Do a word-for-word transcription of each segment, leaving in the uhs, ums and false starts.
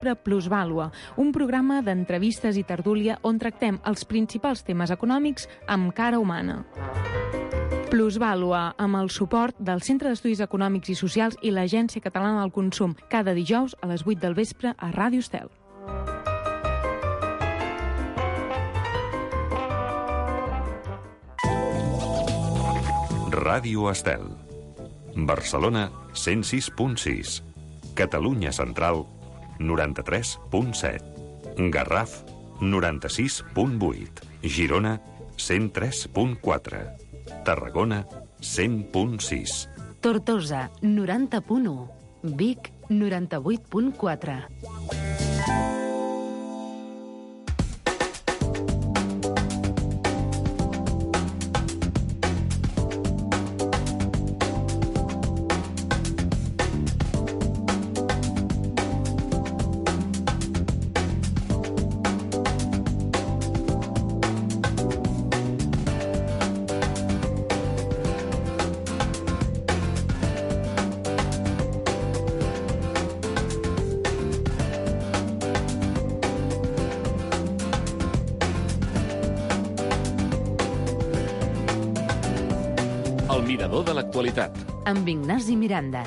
Plusvàlua, un programa d'entrevistes i tertúlia on tractem els principals temes econòmics amb cara humana. Plusvàlua, amb el suport del Centre d'Estudis Econòmics i Socials i l'Agència Catalana del Consum, cada dijous a les vuit del vespre a Ràdio Estel. Ràdio Estel. Barcelona, cent sis punt sis. Catalunya Central, noranta-tres punt set. Garraf, noranta-sis punt vuit. Girona, cent tres punt quatre. Tarragona, cent punt sis. Tortosa, noranta punt u. Vic, noranta-vuit punt quatre. El mirador de l'actualitat. Amb Ignasi Miranda.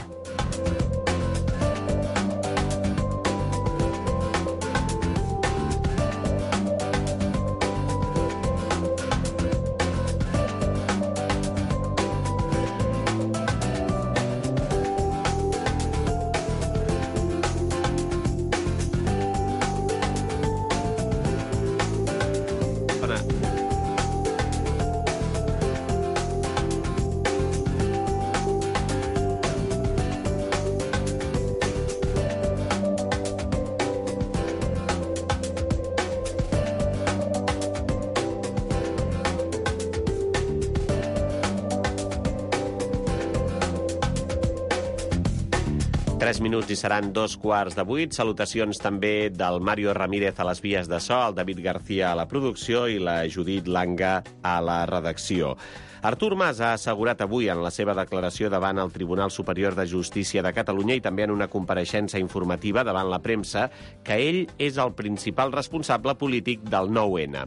Tres minuts i seran dos quarts de vuit. Salutacions també del Mario Ramírez a les vies de so, el David García a la producció i la Judit Langa a la redacció. Artur Mas ha assegurat avui en la seva declaració davant el Tribunal Superior de Justícia de Catalunya i també en una compareixença informativa davant la premsa que ell és el principal responsable polític del nou ene.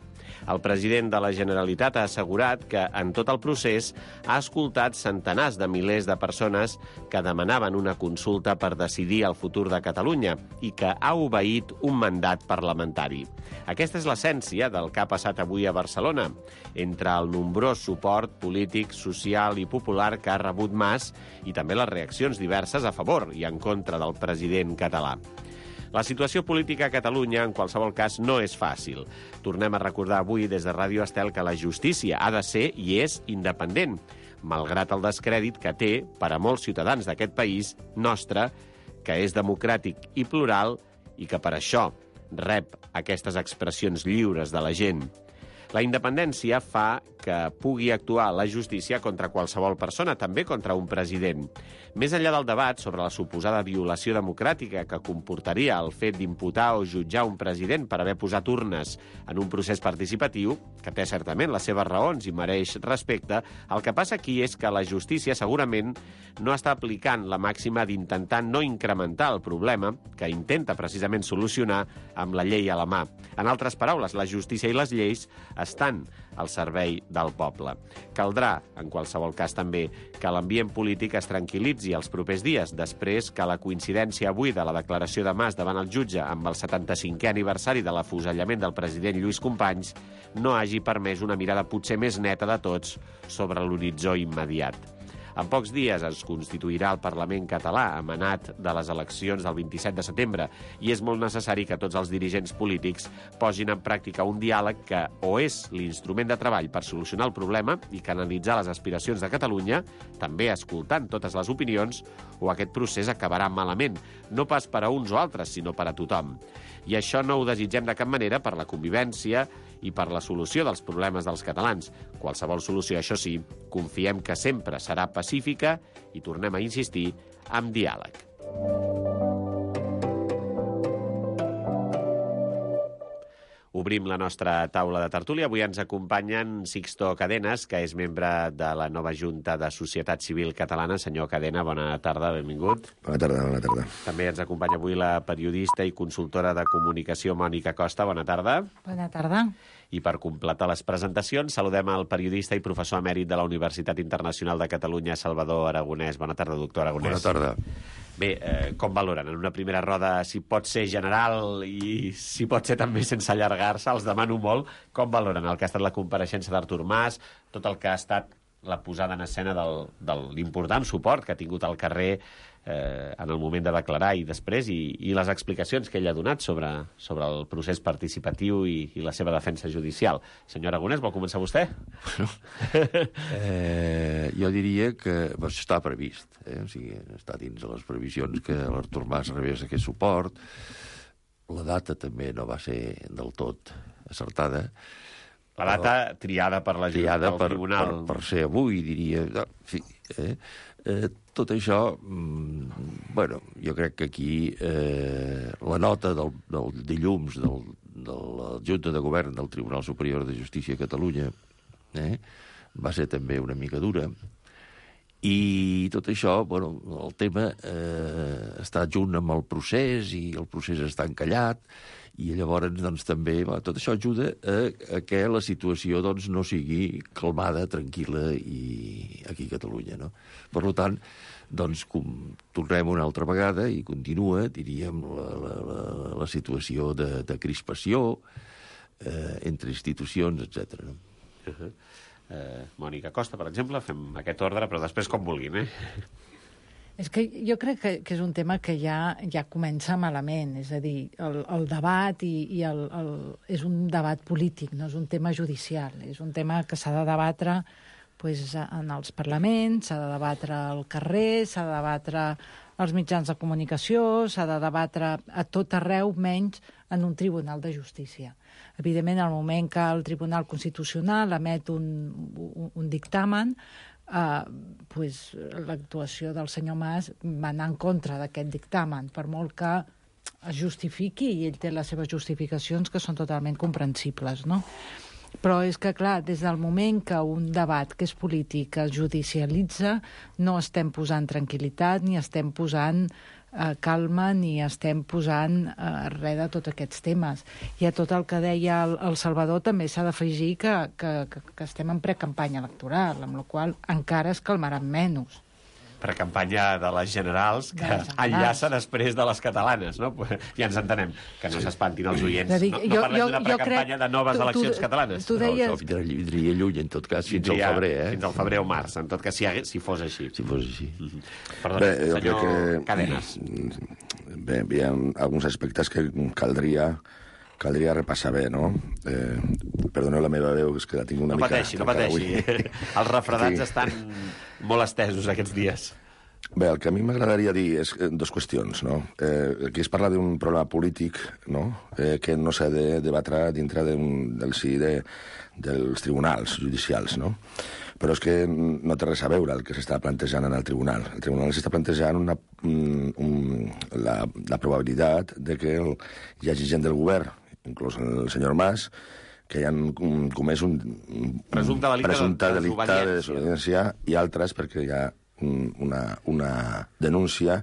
El president de la Generalitat ha assegurat que en tot el procés ha escoltat centenars de milers de persones que demanaven una consulta per decidir el futur de Catalunya i que ha obeït un mandat parlamentari. Aquesta és l'essència del que ha passat avui a Barcelona, entre el nombrós suport polític, social i popular que ha rebut Mas i també les reaccions diverses a favor i en contra del president català. La situació política a Catalunya, en qualsevol cas, no és fàcil. Tornem a recordar avui des de Ràdio Estel que la justícia ha de ser i és independent, malgrat el descrèdit que té per a molts ciutadans d'aquest país nostre, que és democràtic i plural i que per això rep aquestes expressions lliures de la gent. La independència fa que pugui actuar la justícia contra qualsevol persona, també contra un president. Més enllà del debat sobre la suposada violació democràtica que comportaria el fet d'imputar o jutjar un president per haver posat urnes en un procés participatiu, que té certament les seves raons i mereix respecte, el que passa aquí és que la justícia segurament no està aplicant la màxima d'intentar no incrementar el problema que intenta precisament solucionar amb la llei a la mà. En altres paraules, la justícia i les lleis estan al servei del poble. Caldrà, en qualsevol cas també, que l'ambient polític es tranquil·litzi els propers dies, després que la coincidència avui de la declaració de Mas davant el jutge amb el setanta-cinquè aniversari de l'afusellament del president Lluís Companys no hagi permès una mirada potser més neta de tots sobre l'horitzó immediat. En pocs dies es constituirà el Parlament català, emanat de les eleccions del vint-i-set de setembre, i és molt necessari que tots els dirigents polítics posin en pràctica un diàleg que o és l'instrument de treball per solucionar el problema i canalitzar les aspiracions de Catalunya, també escoltant totes les opinions, o aquest procés acabarà malament, no pas per a uns o altres, sinó per a tothom. I això no ho desitgem de cap manera per la convivència i per la solució dels problemes dels catalans. Qualsevol solució, això sí, confiem que sempre serà pacífica i, tornem a insistir, amb diàleg. obrim la nostra taula de tertúlia. Avui ens acompanyen Sixto Cadenas, que és membre de la nova Junta de Societat Civil Catalana. Senyor Cadena, bona tarda, benvingut. Bona tarda, bona tarda. També ens acompanya avui la periodista i consultora de comunicació Mònica Costa. Bona tarda. Bona tarda. I per completar les presentacions, saludem al periodista i professor emèrit de la Universitat Internacional de Catalunya, Salvador Aragonès. Bona tarda, doctor Aragonès. Bona tarda. Bé, eh, com valoren en una primera roda, si pot ser general i si pot ser també sense allargar-se, els demano molt, com valoren el que ha estat la compareixença d'Artur Mas, tot el que ha estat la posada en escena del, de l'important suport que ha tingut al carrer eh, en el moment de declarar i després, i, i les explicacions que ell ha donat sobre, sobre el procés participatiu i, i la seva defensa judicial. Senyor Aragonès, vol començar vostè? Bueno, eh, jo diria que pues, està previst, eh? O sigui, està dins de les previsions que l'Artur Mas rebés aquest suport. La data també no va ser del tot acertada. La data triada per la triada del per, tribunal. Per, per ser avui, diria. No, en fi, eh? Eh, tot això, mm, bueno, jo crec que aquí eh, la nota del, del dilluns del, de la Junta de Govern del Tribunal Superior de Justícia de Catalunya eh, va ser també una mica dura. I tot això, bueno, el tema eh, està junt amb el procés i el procés està encallat i llavors doncs, també va, tot això ajuda a, a que la situació doncs, no sigui calmada, tranquil·la i aquí a Catalunya. No? Per tant, doncs, com tornem una altra vegada i continua, diríem, la, la, la, la situació de, de crispació eh, entre institucions, etcètera. No? Uh-huh. Uh, Mònica Costa, per exemple, fem aquest ordre, però després com vulguin, eh? És que jo crec que, que és un tema que ja, ja comença malament, és a dir, el, el debat i, i el, el, és un debat polític, no és un tema judicial, és un tema que s'ha de debatre pues, en els parlaments, s'ha de debatre al carrer, s'ha de debatre als mitjans de comunicació, s'ha de debatre a tot arreu, menys en un tribunal de justícia. Evidentment, al moment que el Tribunal Constitucional emet un, un, un dictamen, Uh, pues, l'actuació del senyor Mas va anar en contra d'aquest dictamen, per molt que es justifiqui, i ell té les seves justificacions que són totalment comprensibles, no? Però és que, clar, des del moment que un debat que és polític es judicialitza, no estem posant tranquil·litat ni estem posant eh, calma ni estem posant eh, res de tots aquests temes. I a tot el que deia el, el Salvador també s'ha d'afegir que, que, que, que estem en precampanya electoral, amb la qual encara es calmaran menys. Precampanya de les generals que generals. enllaça després de les catalanes, no? Ja ens entenem, que no s'espantin els oients. Dir, no, no parlem d'una precampanya crec, de noves tu, eleccions tu, catalanes. Tu deies... No, no, vindria lluny, en tot cas, fins Vindria, al febrer, eh? Fins al febrer o març, en tot cas, si, si fos així. Si fos així. Mm-hmm. Perdona, Bé, jo senyor crec que... Cadenas. Bé, hi ha alguns aspectes que caldria caldria repassar bé, no? Eh, perdoneu la meva veu, és que la tinc una no mica... Pateixi, no pateixi, no pateixi. Els refredats sí. estan molt estesos aquests dies. Bé, el que a mi m'agradaria dir és dues qüestions, no? Eh, aquí es parla d'un problema polític, no?, eh, que no s'ha de debatre dintre del si de, dels tribunals judicials, no? Però és que no té res a veure el que s'està plantejant en el tribunal. El tribunal s'està plantejant una, un, un, la, la probabilitat de que el, hi hagi gent del govern, inclús el senyor Mas, que hi han comès un, un presumpte delicte, presumpte de, delicte de desobediència i altres perquè hi ha una, una denúncia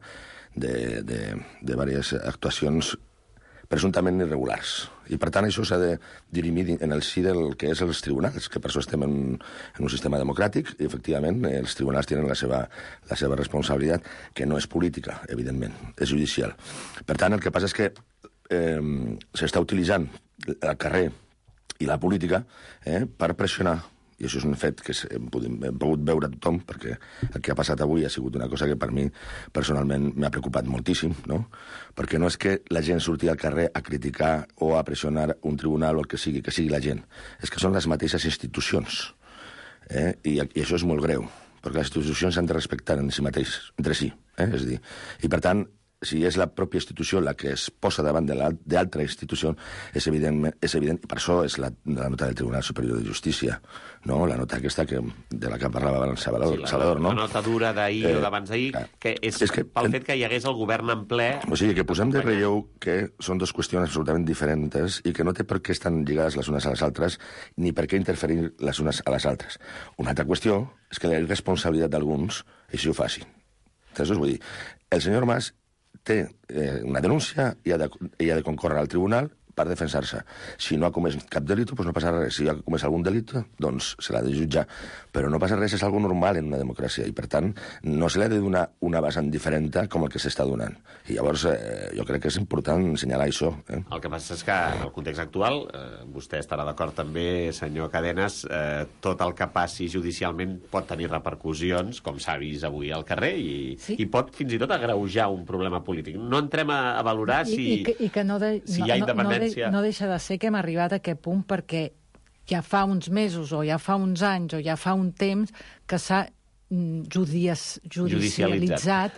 de, de, de diverses actuacions presumptament irregulars. I, per tant, això s'ha de dirimir en el si del que és els tribunals, que per això estem en, en un sistema democràtic, i, efectivament, els tribunals tenen la seva, la seva responsabilitat, que no és política, evidentment, és judicial. Per tant, el que passa és que eh, s'està utilitzant el carrer i la política eh, per pressionar, i això és un fet que hem, hem pogut veure tothom, perquè el que ha passat avui ha sigut una cosa que per mi personalment m'ha preocupat moltíssim, no? Perquè no és que la gent surti al carrer a criticar o a pressionar un tribunal o el que sigui, que sigui la gent. És que són les mateixes institucions. Eh? I, I això és molt greu, perquè les institucions s'han de respectar en si mateix, entre si. Eh? És a dir, i per tant, si és la pròpia institució la que es posa davant d'altra institució, és evident, és evident, i per això és la, la nota del Tribunal Superior de Justícia, no? La nota aquesta que, de la que parlava abans Salvador, sí, la, Salvador, no? La nota dura d'ahir eh, o d'abans d'ahir, que és, és que, pel fet que hi hagués el govern en ple... O sigui, que posem de relleu que són dues qüestions absolutament diferents i que no té per què estar lligades les unes a les altres ni per què interferir les unes a les altres. Una altra qüestió és que la irresponsabilitat d'alguns així ho faci. Entonces, vull dir, el senyor Mas té eh, una denúncia i ha, de, i ha de concórrer al tribunal per defensar-se. Si no ha comès cap delit, doncs no passa res. Si ha comès algun delit, doncs se l'ha de jutjar. Però no passa res, és algo normal en una democràcia, i per tant no se li ha de donar una vessant diferent com el que s'està donant. I llavors eh, jo crec que és important assenyalar això. Eh? El que passa és que en el context actual, eh, vostè estarà d'acord també, senyor Cadenes, eh, tot el que passi judicialment pot tenir repercussions, com s'ha vist avui al carrer, i, sí. i pot fins i tot agreujar un problema polític. No entrem a, a valorar si, I, i que, i que no de, si hi ha no, independència. No, de, no deixa de ser que hem arribat a aquest punt perquè ja fa uns mesos o ja fa uns anys o ja fa un temps que s'ha judici judicialitzat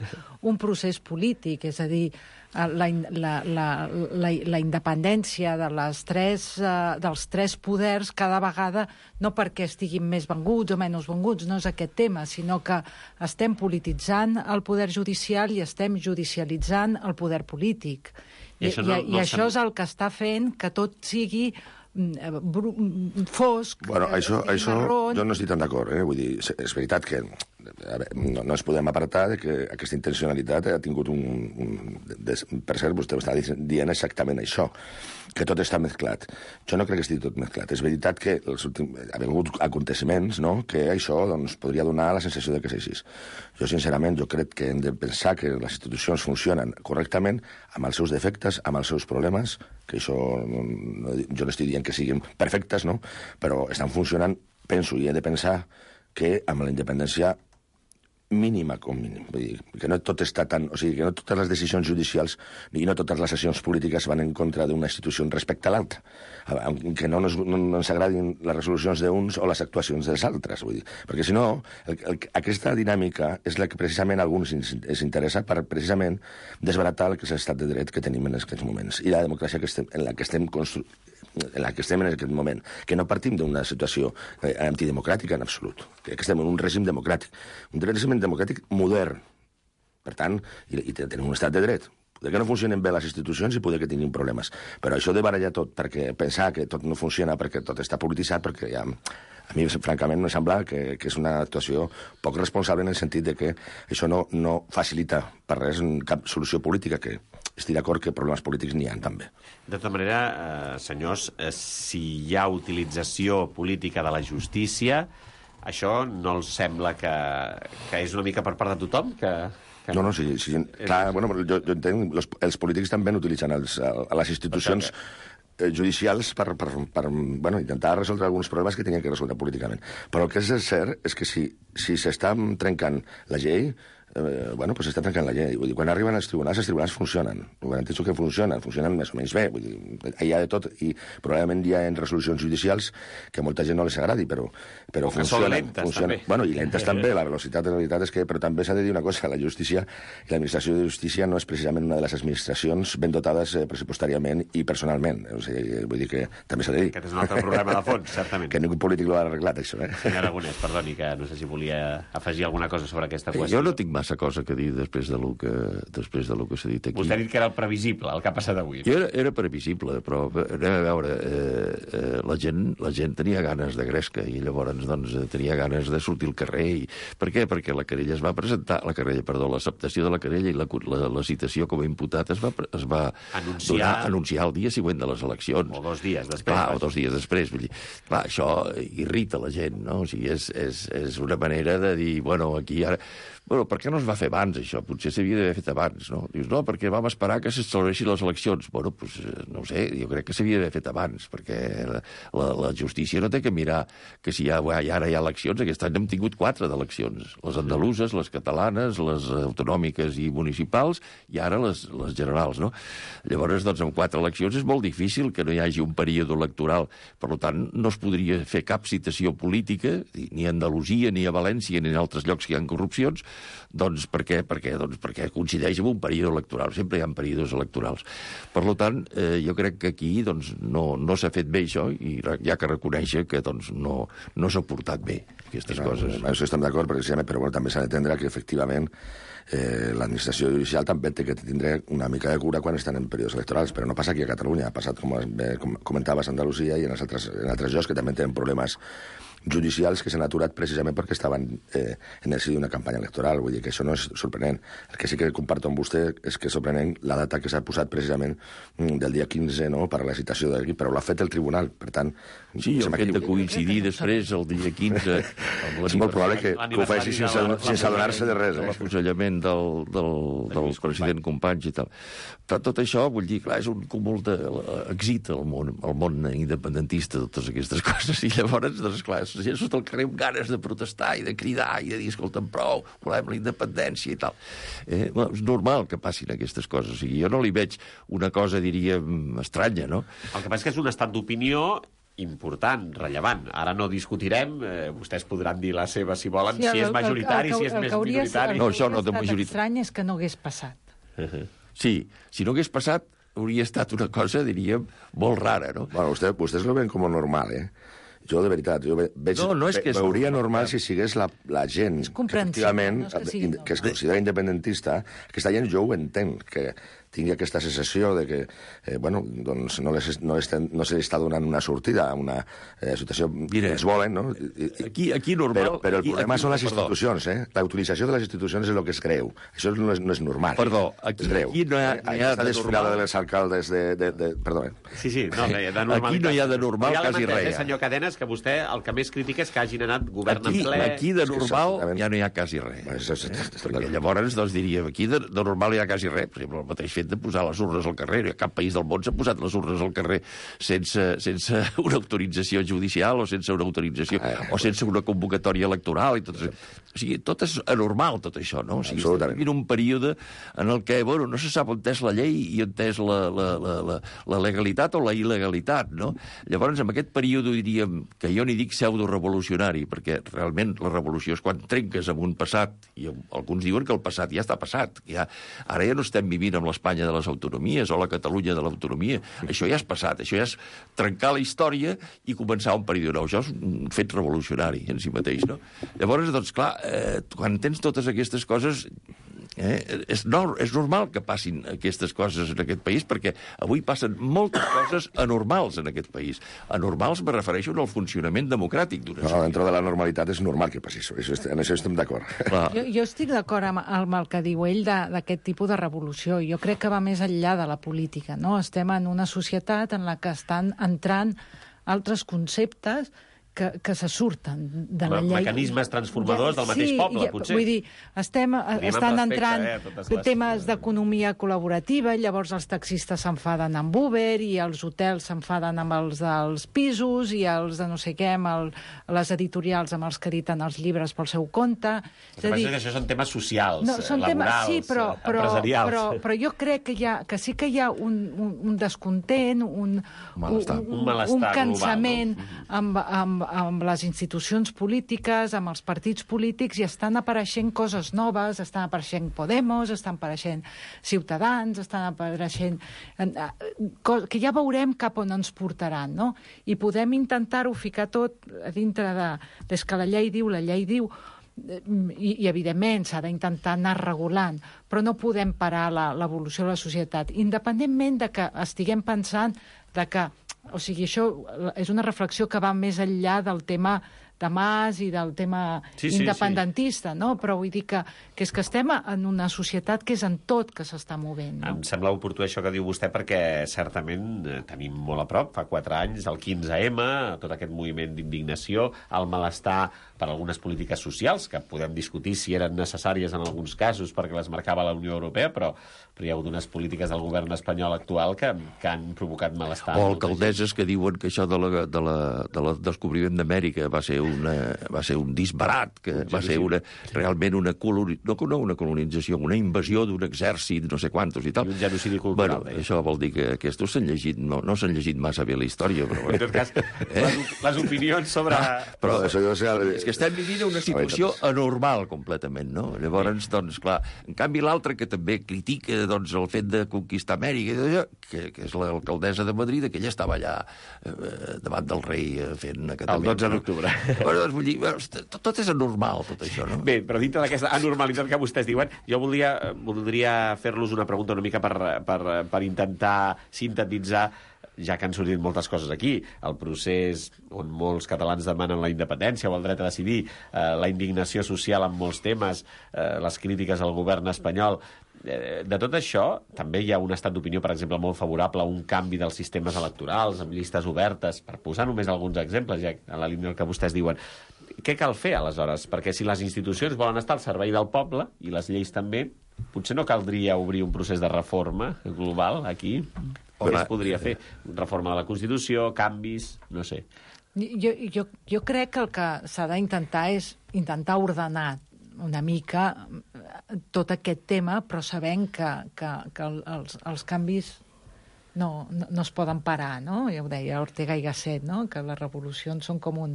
un procés polític, és a dir, la, la, la, la, la independència de les tres, uh, dels tres poders cada vegada, no perquè estiguin més venguts o menys venguts, no és aquest tema, sinó que estem polititzant el poder judicial i estem judicialitzant el poder polític. I, I, això, no, i, no i això és el que està fent que tot sigui fosc, bueno, això, eh, això marró... jo no estic tan d'acord, eh? Vull dir, és veritat que a veure, no, no ens podem apartar de que aquesta intencionalitat ha tingut un... un de, per cert, vostè està dient exactament això, que tot està mesclat. Jo no crec que estigui tot mesclat. És veritat que els últims, ha hagut aconteciments, no?, que això doncs, podria donar la sensació de que és així. Jo, sincerament, jo crec que hem de pensar que les institucions funcionen correctament amb els seus defectes, amb els seus problemes, que això no, no, jo no estic dient que siguin perfectes, no?, però estan funcionant, penso, i he de pensar que amb la independència mínima com mínim. Vull dir, que no tot està tan... O sigui, que no totes les decisions judicials i no totes les accions polítiques van en contra d'una institució respecte a l'altra. Que no, nos, no, no ens agradin les resolucions d'uns o les actuacions dels altres. Vull dir. Perquè, si no, el, el, aquesta dinàmica és la que precisament a alguns es interessa per precisament desbaratar el que és l'estat de dret que tenim en aquests moments i la democràcia que estem, en la que estem construint en la que estem en aquest moment, que no partim d'una situació eh, antidemocràtica en absolut, que estem en un règim democràtic, un règim democràtic modern, per tant, i, i tenim un estat de dret. Poder que no funcionen bé les institucions i poder que tinguin problemes, però això de barallar tot, perquè pensar que tot no funciona, perquè tot està polititzat, perquè ja... A mi, francament, me sembla que, que és una actuació poc responsable en el sentit de que això no, no facilita per res cap solució política, que estic d'acord que problemes polítics n'hi ha també. De tota manera, eh, senyors, eh, si hi ha utilització política de la justícia, això no els sembla que, que és una mica per part de tothom? Que, que... No, no, sí, sí, clar, bueno, jo, jo entenc, els, els polítics també utilitzen els, a les institucions judicials per, per, per bueno, intentar resoldre alguns problemes que tenien que resoldre políticament. Però el que és cert és que si, si s'està trencant la llei, eh, bueno, pues s'està trencant la llei. Vull dir, quan arriben als tribunals, els tribunals funcionen. Ho garanteixo que funcionen, funcionen més o menys bé. Vull dir, hi ha de tot, i probablement hi ha en resolucions judicials que a molta gent no les agradi, però, però funcionen. Són lentes, funcionen. també. Bueno, i lentes també, la velocitat, la veritat és que... Però també s'ha de dir una cosa, la justícia i l'administració de justícia no és precisament una de les administracions ben dotades eh, pressupostàriament i personalment. O sigui, vull dir que també s'ha de dir. Aquest és un altre problema de fons, certament. Que ningú polític l'ha arreglat, això, eh? Senyor Aragonès, perdoni, que no sé si volia afegir alguna cosa sobre aquesta qüestió. Jo no tinc massa cosa que dir després de lo que, després de lo que s'ha dit aquí. Vostè ha dit que era el previsible, el que ha passat avui. Jo era, era previsible, però anem a veure, eh, eh, la, gent, la gent tenia ganes de gresca i llavors doncs, tenia ganes de sortir al carrer. I... Per què? Perquè la querella es va presentar, la querella, perdó, l'acceptació de la querella i la, la, la citació com a imputat es va, es va anunciar... donar, anunciar el dia següent de les eleccions. O dos dies després. Clar, o dos dies després. Vull dir, clar, això irrita la gent, no? O sigui, és, és, és una manera de dir, bueno, aquí ara... Bueno, per què no es va fer abans, això? Potser s'havia d'haver fet abans, no? Dius, no, perquè vam esperar que s'accelereixin les eleccions. Bueno, doncs, no ho sé, jo crec que s'havia d'haver fet abans, perquè la, la, la justícia no té que mirar que si ja, ja ara hi ha eleccions, aquest any hem tingut quatre d'eleccions. Les andaluses, les catalanes, les autonòmiques i municipals, i ara les, les generals, no? Llavors, doncs, amb quatre eleccions és molt difícil que no hi hagi un període electoral. Per tant, no es podria fer cap citació política, ni a Andalusia, ni a València, ni en altres llocs que hi ha corrupcions, Doncs per què? Perquè, doncs perquè coincideix amb un període electoral. Sempre hi ha períodes electorals. Per tant, eh, jo crec que aquí doncs, no, no s'ha fet bé això i hi ha que reconèixer que doncs, no, no s'ha portat bé aquestes no, coses. En això estem d'acord, precisament, però bueno, també s'ha d'entendre que, efectivament, eh, l'administració judicial també té que tindre una mica de cura quan estan en períodes electorals, però no passa aquí a Catalunya, ha passat, com, com comentaves, a Andalusia i en, els altres, en altres llocs que també tenen problemes judicials que s'han aturat precisament perquè estaven eh, en el si d'una campanya electoral. Vull dir que això no és sorprenent. El que sí que comparto amb vostè és que és sorprenent la data que s'ha posat precisament del dia quinze, no?, per a la citació d'aquí, però l'ha fet el tribunal, per tant... Sí, el fet de coincidir després el dia quinze... És molt probable que, que ho faci sense, sense adonar-se de res. Eh? L'afusellament del, del, del president Companys i tal. Tot això, vull dir, clar, és un cúmul de... excita el món, el món independentista, totes aquestes coses, i llavors, doncs, clar, la gent surt al carrer amb ganes de protestar i de cridar i de dir, escolta'm, prou, volem la independència i tal. Eh, bueno, és normal que passin aquestes coses. O sigui, jo no li veig una cosa, diríem, estranya, no? El que passa és que és un estat d'opinió important, rellevant. Ara no discutirem, eh, vostès podran dir la seva si volen, sí, si és majoritari, el, el, el, si és més minoritari. No, això no de majoritari. L'estrany és que no hagués passat. Uh-huh. Sí, si no hagués passat, hauria estat una cosa, diríem, molt rara, no? Bueno, usted, vostès lo ven com normal, eh? Jo, de veritat, jo veig, no, no és que és veuria normal, normal si sigués la, la gent que, efectivament, no és que, sigui, que es considera independentista, aquesta gent jo ho entenc, que tingui aquesta sensació de que eh, bueno, doncs no, les, no, estem, no se li està donant una sortida a una eh, situació que ells volen, no? I, aquí, aquí normal... Però, però el aquí, problema aquí, són les perdó. institucions, eh? La utilització de les institucions és el que es creu. Això no és, no és normal. Perdó, aquí, aquí no hi ha, no hi ha de desfilada de les alcaldes de... de, de perdó. Sí, sí, no, de normalitat. Aquí no hi ha de normal ja quasi res. Eh, senyor Cadenes, que vostè el que més critica és que hagin anat govern aquí, en ple... Aquí de normal sí, ja no hi ha quasi res. Perquè llavors doncs, diríem, aquí de, de normal hi ha quasi res. Per exemple, el mateix fet de posar les urnes al carrer. Cap país del món s'ha posat les urnes al carrer sense, sense una autorització judicial o sense una autorització o sense una convocatòria electoral. I tot, o sigui, tot és anormal, tot això, no? O sigui, estem en un període en el que, bueno, no se sap on és la llei i on és la, la, la, la, la legalitat o la il·legalitat, no? Llavors, en aquest període, diríem, que jo n'hi dic pseudo-revolucionari, perquè realment la revolució és quan trenques amb un passat, i alguns diuen que el passat ja està passat. Ja, ara ja no estem vivint amb l'Espanya de les autonomies o la Catalunya de l'autonomia. Això ja és passat, això ja és trencar la història i començar un període nou. Això és un fet revolucionari en si mateix, no? Llavors, doncs, clar, eh, quan tens totes aquestes coses... Eh, és, no, és normal que passin aquestes coses en aquest país, perquè avui passen moltes coses anormals en aquest país. Anormals me refereixo al funcionament democràtic d'una societat. No, dintre de la normalitat és normal que passi això. això en això estem d'acord. Jo, jo estic d'acord amb, amb el que diu ell d'aquest tipus de revolució. Jo crec que va més enllà de la política, no? Estem en una societat en la que estan entrant altres conceptes que, que se surten de la llei. Mecanismes transformadors del mateix sí, poble, ja, potser. Vull dir, estem, estan entrant eh, les... temes d'economia col·laborativa, llavors els taxistes s'enfaden amb Uber i els hotels s'enfaden amb els dels pisos i els de no sé què, amb el, les editorials amb els que editen els llibres pel seu compte. El que passa és que això són temes socials, no, són laborals, temes, sí, però, però, empresarials. Però, però jo crec que, hi ha, que sí que hi ha un, un, un descontent, un, malestar. un, un, malestar un cansament global, no? amb, amb, amb les institucions polítiques, amb els partits polítics, i estan apareixent coses noves, estan apareixent Podemos, estan apareixent Ciutadans, estan apareixent... que ja veurem cap on ens portaran, no? I podem intentar-ho ficar tot a dintre de... Des que la llei diu, la llei diu, i, i evidentment s'ha d'intentar anar regulant, però no podem parar l'evolució de la societat, independentment de que estiguem pensant de que, o sigui, això és una reflexió que va més enllà del tema de Mas i del tema sí, sí, independentista, sí. No? Però vull dir que, que és que estem en una societat que és en tot que s'està movent. No? Em sembla oportú això que diu vostè, perquè certament tenim molt a prop, fa quatre anys, el quinze eme, tot aquest moviment d'indignació, el malestar per algunes polítiques socials, que podem discutir si eren necessàries en alguns casos perquè les marcava la Unió Europea, però, però hi ha hagut unes polítiques del govern espanyol actual que, que han provocat malestar. O alcaldesses que diuen que això de la, de la, de la descobriment d'Amèrica va ser una, va ser un disbarat, que va ser una, realment una coloni... no, no una colonització, una invasió d'un exèrcit, no sé quantos i tal. I un genocidi cultural. Bueno, això vol dir que aquests s'han llegit, no, no s'han llegit massa bé la història, però... En tot cas, eh? les, les opinions sobre... Ah, però això deu ser... és que estem vivint una situació anormal completament, no? Llavors, doncs, clar, en canvi l'altre que també critica doncs, el fet de conquistar Amèrica, que, que és l'alcaldessa de Madrid, que ella estava allà eh, davant del rei eh, fent acatament. El dotze d'octubre. No? Bueno, doncs, vull dir, tot, tot és anormal, tot això, no? Bé, però dintre d'aquesta anormalitat que vostès diuen, jo voldria, voldria fer-los una pregunta una mica per, per, per intentar sintetitzar, ja que han sortit moltes coses aquí, el procés on molts catalans demanen la independència o el dret a decidir, eh, la indignació social en molts temes, eh, les crítiques al govern espanyol. Eh, de tot això, també hi ha un estat d'opinió, per exemple, molt favorable a un canvi dels sistemes electorals, amb llistes obertes, per posar només alguns exemples, ja en la línia que vostès diuen. Què cal fer, aleshores? Perquè si les institucions volen estar al servei del poble, i les lleis també, potser no caldria obrir un procés de reforma global aquí? O què es podria fer? Reforma de la Constitució, canvis, no sé. Jo, jo, jo crec que el que s'ha d'intentar és intentar ordenar una mica tot aquest tema, però sabent que, que, que els, els canvis no, no, no es poden parar, no? Ja ho deia Ortega i Gasset, no? Que les revolucions són com un,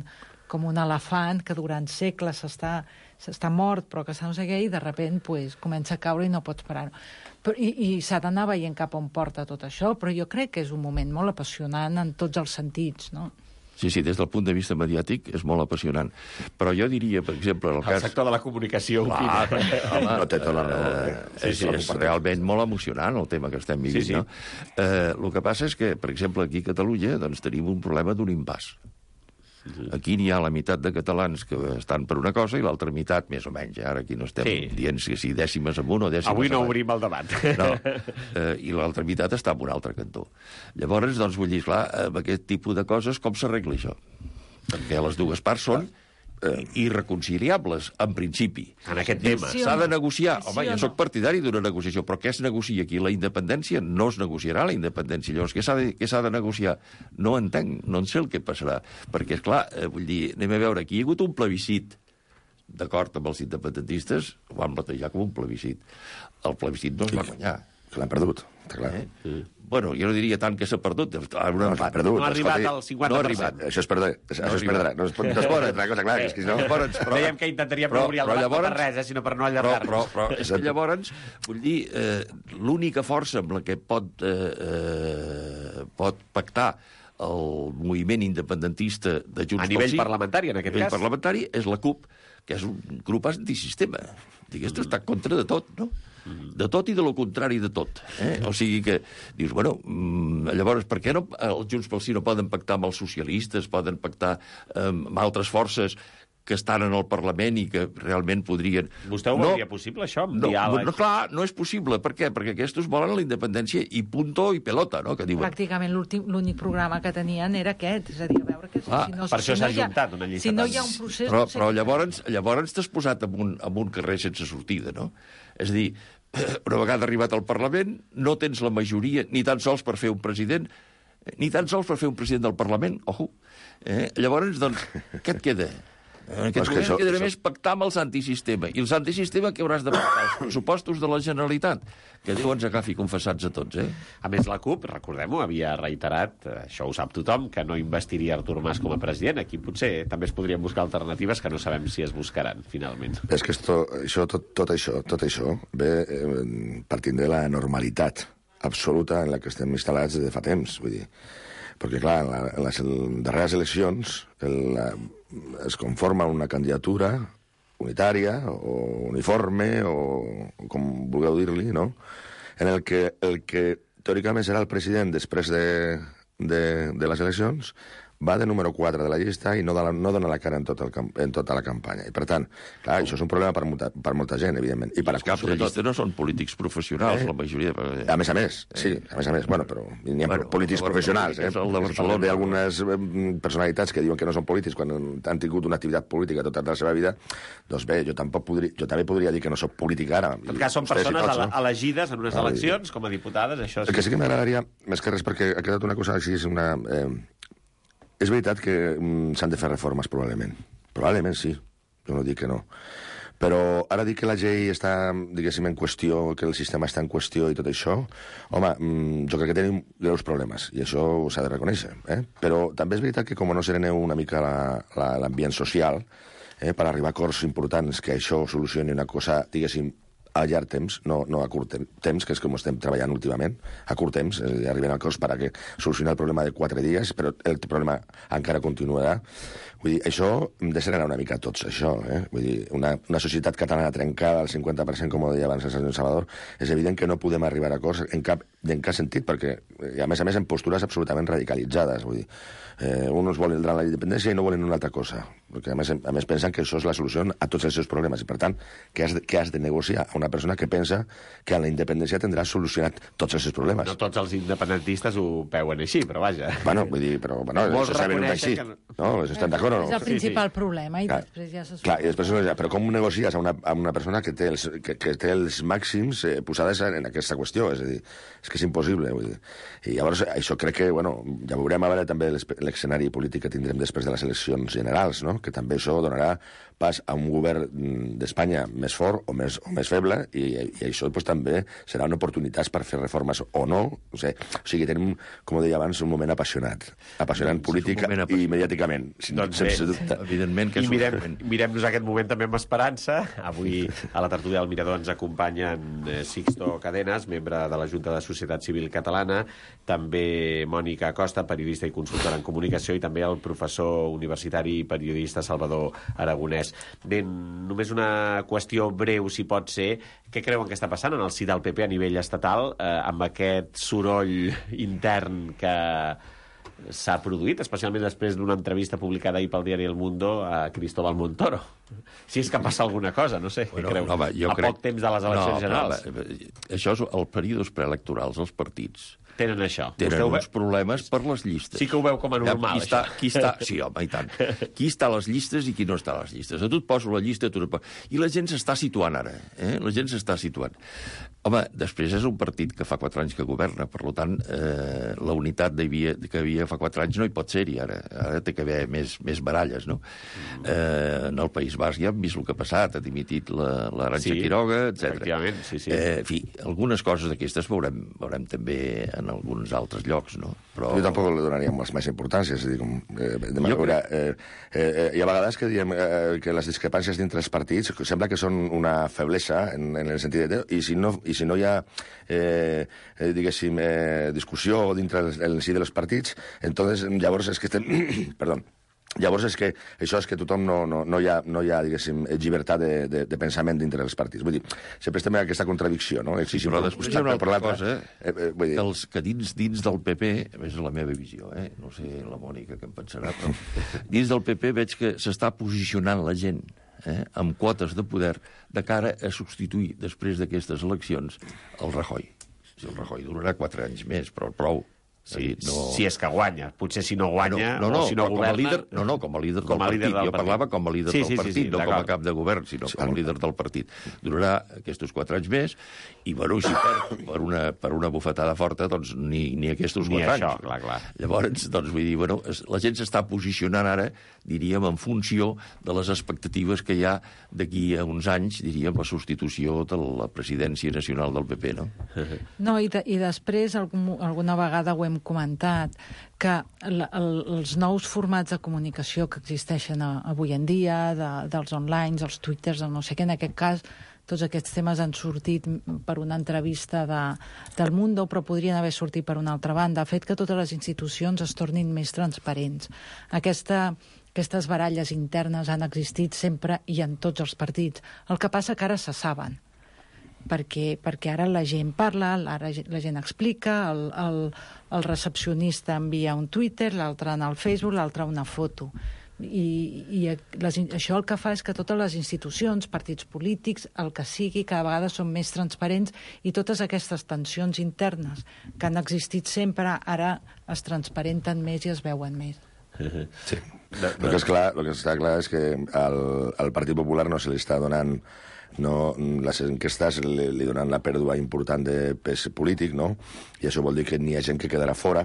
com un elefant que durant segles s'està s'està mort, però que no sé què, i de sobte pues, comença a caure i no pots parar. Però, I i s'ha d'anar veient cap on porta tot això, però jo crec que és un moment molt apassionant en tots els sentits, no? Sí, sí, des del punt de vista mediàtic és molt apassionant. Però jo diria, per exemple... El, el cas... sector de la comunicació Clar, opina. home, no té tota la raó. Eh, és, és realment molt emocionant el tema que estem vivint, sí, sí. no? Eh, el que passa és que, per exemple, aquí a Catalunya doncs, tenim un problema d'un impàs. Aquí n'hi ha la meitat de catalans que estan per una cosa i l'altra meitat, més o menys. Ara aquí no estem sí. dient si, si dècimes amunt o dècimes Avui no avall. obrim el debat. No. Eh, I l'altra meitat està en un altre cantó. Llavors, doncs, vull dir, clar, amb aquest tipus de coses, com s'arregla això? Perquè les dues parts són eh, irreconciliables, en principi. En aquest tema. Sí, S'ha de negociar. Sí, Home, sí jo no? sóc partidari d'una negociació, però què es negocia aquí? La independència no es negociarà, la independència. Llavors, què s'ha de, què s'ha de negociar? No entenc, no en sé el que passarà. Perquè, esclar, eh, vull dir, anem a veure, aquí hi ha hagut un plebiscit, d'acord amb els independentistes, ho van batejar com un plebiscit. El plebiscit no es va guanyar. Que l'han perdut, està clar. Eh? Sí. Bueno, jo no diria tant que s'ha perdut. No, s'ha perdut. No ha arribat escolti, al cinquanta per cent. No ha Això es perdrà. Això No es perdrà. No es pot, no es pot una cosa clara. És que no... Llavors, però, Dèiem que intentaríem però- no obrir el però debat llavors- per res, eh, sinó per no però, allargar-nos. però, però és que llavors, vull dir, eh, l'única força amb la que pot, eh, eh, pot pactar el moviment independentista de Junts A pel nivell Sí, parlamentari, en a aquest nivell cas. parlamentari, és la CUP, que és un grup antisistema. Digues, està en contra de tot, no? De tot i de lo contrari de tot. Eh? O sigui que dius, bueno, mm, llavors, per què no, els Junts pel Sí no poden pactar amb els socialistes, poden pactar eh, amb altres forces que estan en el Parlament i que realment podrien... Vostè ho no, veuria possible, això, amb no, diàleg? no, clar, no és possible. Per què? Perquè aquests volen la independència i punto i pelota, no?, que diuen. Pràcticament l'últim- l'únic programa que tenien era aquest, és a dir, a veure que si, Ah, si no, per això si s'ha no hi ha- juntat una llista Si no tan- hi ha un procés... Però, no sé però què- llavors, llavors t'has posat en un, en un carrer sense sortida, no? És a dir, una vegada arribat al Parlament, no tens la majoria ni tan sols per fer un president, ni tan sols per fer un president del Parlament, ojo. Eh? Llavors, doncs, què et queda? En aquest Però és que moment això- quedarà això- més pactar amb els antisistema. I els antisistema que hauràs de pactar? Els pressupostos de la Generalitat, que Déu ens agafi confessats a tots, eh? A més, la CUP, recordem-ho, havia reiterat, eh, això ho sap tothom, que no investiria Artur Mas com a president. Aquí potser també es podrien buscar alternatives que no sabem si es buscaran, finalment. És que esto, això, tot, tot això, tot això ve eh, partint de la normalitat absoluta en la que estem instal·lats des de fa temps, vull dir. Perquè, clar, en, la, en les darreres eleccions el, la, es conforma una candidatura unitària o uniforme o com vulgueu dir-li, no?, en el que, el que teòricament serà el president després de, de, de les eleccions va de número quatre de la llista i no, de la, no dona la cara en, tot el, camp- en tota la campanya. I, per tant, clar, això és un problema per molta, per molta gent, evidentment. I per Els caps de llista no són polítics professionals, Eh? la majoria... A més a més, sí, a més a més. Bueno, però hi ha Bueno, polítics el de professionals, Barcelona, eh? és el de Barcelona. Parlem d'algunes eh, personalitats que diuen que no són polítics quan han tingut una activitat política tota la seva vida. Doncs bé, jo tampoc podria, jo també podria dir que no soc polític ara. En tot cas, són Vostès i persones tots, ele- no? elegides en unes Ah, eleccions com a diputades, això El que sí. sí que m'agradaria, més que res, perquè ha quedat una cosa així, és una... Eh, és veritat que mm, s'han de fer reformes, probablement. Probablement sí, jo no dic que no. Però ara dir que la llei està, diguéssim, en qüestió, que el sistema està en qüestió i tot això, home, jo crec que tenim greus problemes, i això s'ha de reconèixer. Eh? Però també és veritat que com no sereneu una mica l'ambient social, eh, per arribar a acords importants que això solucioni una cosa, diguéssim, a llarg temps, no, no a curt temps, que és com estem treballant últimament, a curt temps, eh, arribem a acords per a que solucioni el problema de quatre dies, però el problema encara continuarà. Vull dir, això hem de serenar una mica tots, això, eh? Vull dir, una, una societat catalana trencada al cinquanta per cent, com ho deia abans el senyor Salvador, és evident que no podem arribar a acords en cap, en cap sentit, perquè, a més a més, en postures absolutament radicalitzades, vull dir, eh, uns volen la independència i no volen una altra cosa, perquè a més, a més pensen que això és la solució a tots els seus problemes, i per tant, què has de, què has de negociar a una persona que pensa que a la independència tindrà solucionat tots els seus problemes? No tots els independentistes ho veuen així, però vaja. Bueno, vull dir, però, bueno, molts això saben un així, que... no? Estan d'acord o no? És el principal sí, sí. problema, i clar, després ja se clar, i després, però com negocies a una, a una persona que té els, que, que té els màxims eh, posades en aquesta qüestió? És a dir, és que és impossible, vull dir. I llavors, això crec que, bueno, ja veurem a veure també l'escenari polític que tindrem després de les eleccions generals, no? Que també això donarà pas a un govern d'Espanya més fort o més, o més feble, i, i això pues, també serà una oportunitat per fer reformes o no. O sigui, o sigui tenim, com deia abans, un moment apassionat. Apassionant doncs, política i mediàticament. Doncs sense dubte. Evidentment que és mirem, un moment. Mirem-nos aquest moment també amb esperança. Avui a la tertúlia del Mirador ens acompanyen Sixto Cadenas, membre de la Junta de Societat Civil Catalana, també Mònica Acosta, periodista i consultora en comunicació, i també el professor universitari i periodista Salvador Aragonès. Bé, només una qüestió breu, si pot ser. Què creuen que està passant en el si del P P a nivell estatal, eh, amb aquest soroll intern que s'ha produït, especialment després d'una entrevista publicada ahir pel diari El Mundo a Cristóbal Montoro? Si és que passa alguna cosa, no sé, bueno, què creu? Home, jo a crec... poc temps de les eleccions no, generals. Home, això és el períodes preelectorals, els partits. Tenen això. Tenen Vostè uns ve... problemes per les llistes. Sí que ho veu com a normal, qui està, això. qui està... Sí, home, i tant. Qui està a les llistes i qui no està a les llistes. A tu et poso la llista, tu et poso... I la gent s'està situant ara. Eh? La gent s'està situant. Home, després és un partit que fa quatre anys que governa, per tant, eh, la unitat havia, que havia fa quatre anys no hi pot ser-hi ara. Ara té que haver més, més baralles, no? Mm. Eh, en el País Basc ja hem vist el que ha passat, ha dimitit l'Arantxa sí, Quiroga, etcètera. Efectivament, sí, sí. Eh, en fi, algunes coses d'aquestes veurem, veurem també en alguns altres llocs, no? Però... Jo tampoc li donaria més, més importància, és a dir, com, eh, de manera, eh, eh, hi ha vegades que diem eh, que les discrepàncies dintre els partits sembla que són una feblesa en, en el sentit de... I si no, i si no hi ha, eh, eh, diguéssim, eh, discussió dintre el, el si dels partits, entonces, llavors és que estem... Perdó. Llavors és que això és que tothom no, no, no, hi, ha, no hi ha, diguéssim, llibertat de, de, de pensament dintre dels partits. Vull dir, sempre estem en aquesta contradicció, no? Sí, però després hi ha una altra cosa, eh? eh, vull dir... que, els, que dins, dins del P P, és la meva visió, eh? No sé la Mònica què en pensarà, però dins del P P veig que s'està posicionant la gent eh? amb quotes de poder de cara a substituir, després d'aquestes eleccions, el Rajoy. Si el Rajoy durarà quatre anys més, però prou. Sí, no... Si és que guanya. Potser si no guanya no, no, no, o si no governa... Com a líder, no, no, com a líder com del a partit. líder del jo partit. parlava com a líder sí, del sí, partit, sí, sí, no com a cap de govern, sinó sí, com a líder del partit. Durarà aquests quatre anys més i, bueno, si per, per, una, per una bufetada forta, doncs ni, ni aquests ni quatre això, anys. Clar, clar. Llavors, doncs, vull dir, bueno, la gent s'està posicionant ara, diríem, en funció de les expectatives que hi ha d'aquí a uns anys, diríem, la substitució de la presidència nacional del P P, no? No, i, de, i després, algun, alguna vegada ho hem comentat, que el, el, els nous formats de comunicació que existeixen a, avui en dia, de, dels online, els twitters, el no sé què, en aquest cas, tots aquests temes han sortit per una entrevista de, del Mundo, però podrien haver sortit per una altra banda. Ha fet que totes les institucions es tornin més transparents. Aquesta, aquestes baralles internes han existit sempre i en tots els partits. El que passa que ara se saben. Perquè, perquè ara la gent parla, ara la gent explica, el, el, el recepcionista envia un Twitter, l'altre en el Facebook, l'altre una foto. I, i les, això el que fa és que totes les institucions, partits polítics, el que sigui, cada vegada són més transparents i totes aquestes tensions internes que han existit sempre, ara es transparenten més i es veuen més. Sí. El que, és clar, el que està clar és que al, al Partit Popular no se li està donant... No, les enquestes li, li donen la pèrdua important de pes polític, no? I això vol dir que n'hi ha gent que quedarà fora,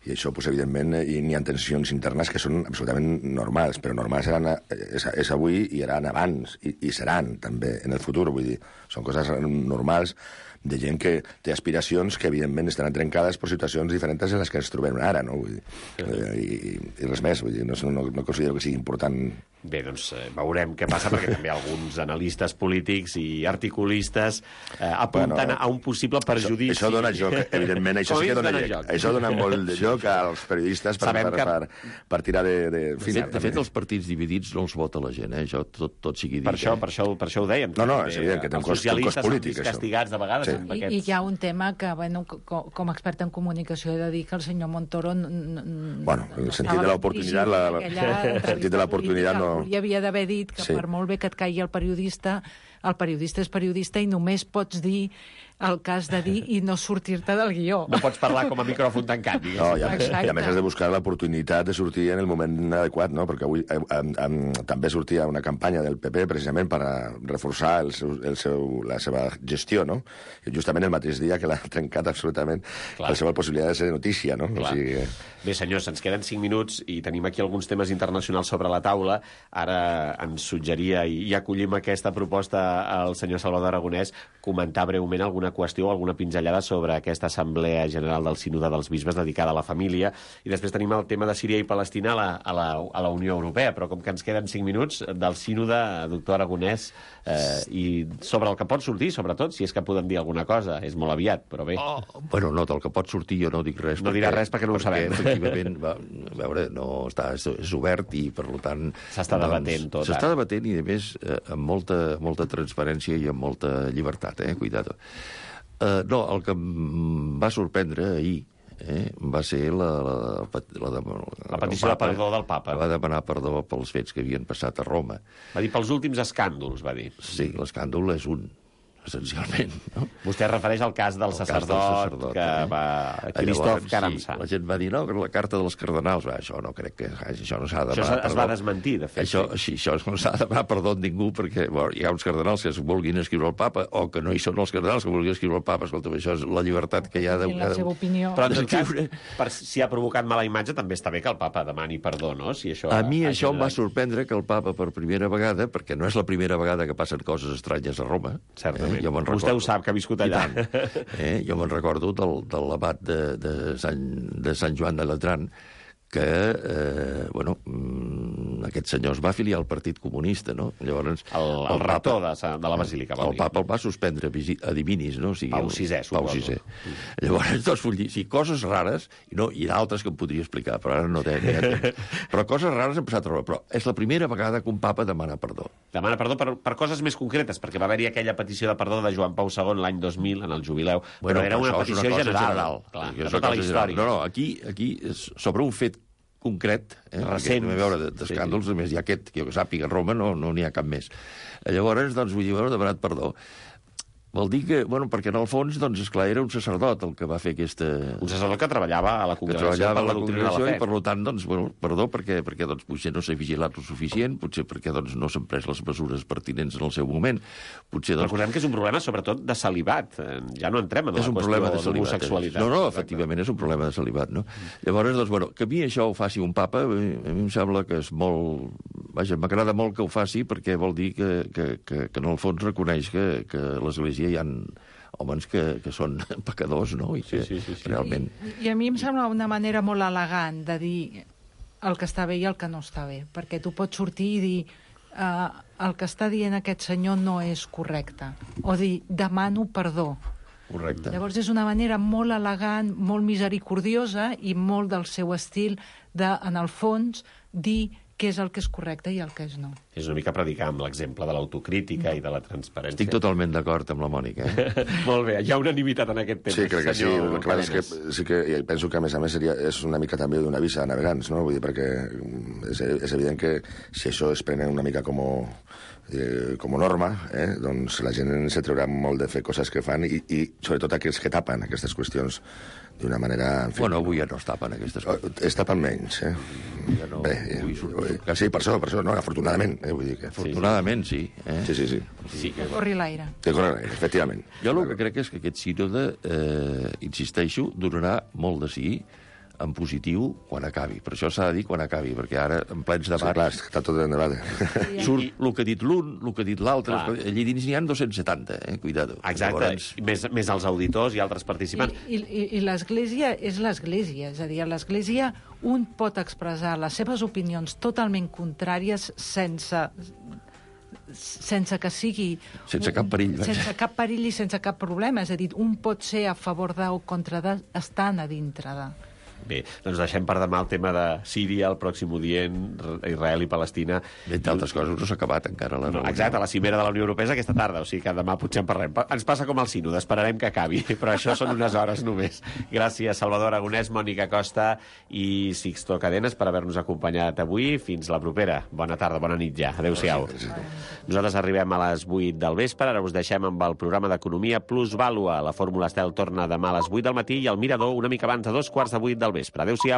I això, pues, evidentment, eh, hi ha tensions internes que són absolutament normals, però normals eren, és, és avui i eren abans, i, i seran també en el futur, vull dir, són coses normals de gent que té aspiracions que, evidentment, estan trencades per situacions diferents en les que ens trobem ara, no? Vull dir, eh, i, i res més, vull dir, no, no, no considero que sigui important. Bé, doncs eh, veurem què passa, perquè també alguns analistes polítics i articulistes eh, apunten bueno, a un possible perjudici. Això, això dona joc, evidentment, això sí que dona, dona joc. Això dona molt de joc als periodistes per, per, que... per, per tirar de... De, de, fet, de fet, els partits dividits no els vota la gent, eh? Això tot, tot sigui dit. Per això, per això, per això ho dèiem. No, no, és evident que té un cost, un cost polític, això. Castigats de vegades. Sí. Amb I, I hi ha un tema que, bueno, com, com a expert en comunicació, he de dir que el senyor Montoro... Bueno, el sentit de l'oportunitat... El sentit de l'oportunitat no... Hi havia d'haver dit que sí. Per molt bé que et caigui el periodista, el periodista és periodista i només pots dir el que has de dir i no sortir-te del guió. No pots parlar com a micròfon tancat, digues. No, i a, més, i a més has de buscar l'oportunitat de sortir en el moment adequat, no? Perquè avui eh, eh, també sortia una campanya del P P precisament per a reforçar el seu, el seu, la seva gestió, no? I justament el mateix dia que l'ha trencat absolutament Clar. La seva possibilitat de ser notícia, no? O sigui... Bé, senyors, ens queden cinc minuts i tenim aquí alguns temes internacionals sobre la taula. Ara ens suggeria i, i acollim aquesta proposta al senyor Salvador Aragonès comentar breument alguna qüestió o alguna pinzellada sobre aquesta Assemblea General del Sínode dels Bisbes dedicada a la família. I després tenim el tema de Síria i Palestina a la, a la, a la Unió Europea, però com que ens queden cinc minuts, del Sínode, doctor Aragonès, eh, i sobre el que pot sortir, sobretot, si és que podem dir alguna cosa. És molt aviat, però bé. Oh, bueno, no, del que pot sortir jo no dic res. No dirà res perquè no ho perquè, sabem. Efectivament, va, a veure, no està, és, és obert i, per tant... S'està doncs, debatent tot. S'està debatent i, a més, eh, amb molta, molta transparència i amb molta llibertat, eh? Cuidado. Uh, no, el que em va sorprendre ahir eh, va ser la, la, la, la, la, la petició de perdó del papa. Va demanar perdó pels fets que havien passat a Roma. Va dir pels últims escàndols, va dir. Sí, l'escàndol és un, essencialment. No? Vostè es refereix al cas del, sacerdot, cas del sacerdot que eh? va... Christoph Karamza. Sí, la gent va dir, no, la carta dels cardenals, va, això no crec que... Això no s'ha de demanar perdó. Es va desmentir, de fet. Això, sí, això no s'ha de demanar perdó a ningú, perquè bueno, hi ha uns cardenals que es vulguin escriure al papa, o que no hi són els cardenals que vulguin escriure al papa. Escolta, això és la llibertat que hi ha de... la seva opinió. Però, en tot cas, per, si ha provocat mala imatge, també està bé que el papa demani perdó, no? Si això a mi això generat... em va sorprendre que el papa, per primera vegada, perquè no és la primera vegada que passen coses estranyes a Roma. Certament. Eh? Vostè ho sap, que ha viscut allà. Eh? Jo me'n recordo del, de l'abat de, de, Sant, de Sant Joan de Latran, que, eh, bueno, aquest senyor es va afiliar al Partit Comunista, no? Llavors... El, el, el rector de, de la Basílica, el Papa el va suspendre a Divinis, no? O sigui, Pau sisè, suposo. Pau sisè. Llavors, doncs, vull dir, sí, coses rares, i, no, i d'altres que em podria explicar, però ara no té temps. Però coses rares han passat a Roma. Però és la primera vegada que un papa demana perdó. Demana perdó per, per coses més concretes, perquè va haver-hi aquella petició de perdó de Joan Pau segon l'any dos mil, en el jubileu, bueno, però era una una petició una general, general clar, de tota la història. No, no, aquí, aquí és sobre un fet concret, eh, recent, a veure, d'escàndols, sí, sí. A més, hi ha aquest, que jo sàpiga, a Roma no n'hi no ha cap més. Llavors, doncs, vull dir, bueno, demanat perdó. Vol dir que, bueno, perquè en el fons, doncs, esclar, era un sacerdot el que va fer aquesta... Un sacerdot que treballava a la congregació per la, la doctrina de la fe. I, per tant, doncs, bueno, perdó, perquè, perquè doncs, potser no s'ha vigilat el suficient, potser perquè doncs, no s'han pres les mesures pertinents en el seu moment. Potser, doncs... Recordem que és un problema, sobretot, de celibat. Ja no entrem en la qüestió de l'homosexualitat. No, no, efectivament, és un problema de celibat, no? Llavors, doncs, bueno, que a mi això ho faci un papa, a mi em sembla que és molt... Vaja, m'agrada molt que ho faci, perquè vol dir que, que, que, que en el fons reconeix que, que l'Església hi ha homes que, que són pecadors, no? I que sí, sí, sí, sí. realment... I, I a mi em sembla una manera molt elegant de dir el que està bé i el que no està bé, perquè tu pots sortir i dir uh, el que està dient aquest senyor no és correcte, o dir demano perdó. Correcte. Llavors és una manera molt elegant, molt misericordiosa i molt del seu estil de, en el fons, dir què és el que és correcte i el que és no. És una mica predicar amb l'exemple de l'autocrítica i de la transparència. Estic totalment d'acord amb la Mònica. Eh? Molt bé, hi ha unanimitat en aquest tema. Sí, crec que sí. El que és que, sí que penso que, a més a més, seria, és una mica també d'una visa a navegants, no? Vull dir, perquè és, és evident que si això es prenen una mica com, eh, com norma, eh, doncs la gent se treurà molt de fer coses que fan i, i sobretot aquells que tapen aquestes qüestions d'una manera... En fi, bueno, avui ja no es tapen aquestes coses. Es tapen menys, eh? Ja no... Bé, eh, sí, per això, per això, no, afortunadament. Eh, vull dir que... Afortunadament, sí. Eh? Sí, sí, sí. sí que corri l'aire. Que corri l'aire, efectivament. Jo el que crec és que aquest sínode, eh, insisteixo, donarà molt de sí en positiu quan acabi. Per això s'ha de dir quan acabi, perquè ara, en plens Sí, debats, clar, està tot en debat. surt el que ha dit l'un, el que ha dit l'altre. Clar. Allí dins n'hi ha dos-cents setanta, eh? Cuidado. Exacte, Llavors, més, més els auditors i altres participants. I, i, i l'Església és l'Església, és a dir, a l'Església un pot expressar les seves opinions totalment contràries sense sense que sigui... Sense cap perill, vaja. Sense cap perill i sense cap problema. És a dir, un pot ser a favor de o contra de, estant a dintre de... Bé, doncs deixem per demà el tema de Síria, el pròxim Orient, Israel i Palestina. entre altres coses, no s'ha acabat encara la No, reunió. exacte, la cimera de la Unió Europea és aquesta tarda, o sigui que demà potser en parlem. Ens passa com al sínode, esperarem que acabi, però això són unes hores només. Gràcies, Salvador Aragonès, Mònica Costa i Sixto Cadenes per haver-nos acompanyat avui. Fins la propera. Bona tarda, bona nit ja. Adéu-siau. Nosaltres arribem a les vuit del vespre, ara us deixem amb el programa d'Economia Plus Vàlua. La Fórmula Estel torna demà a les vuit del matí i el Mirador una mica abans de dos quarts de vuit del vespre. Adéu-siau.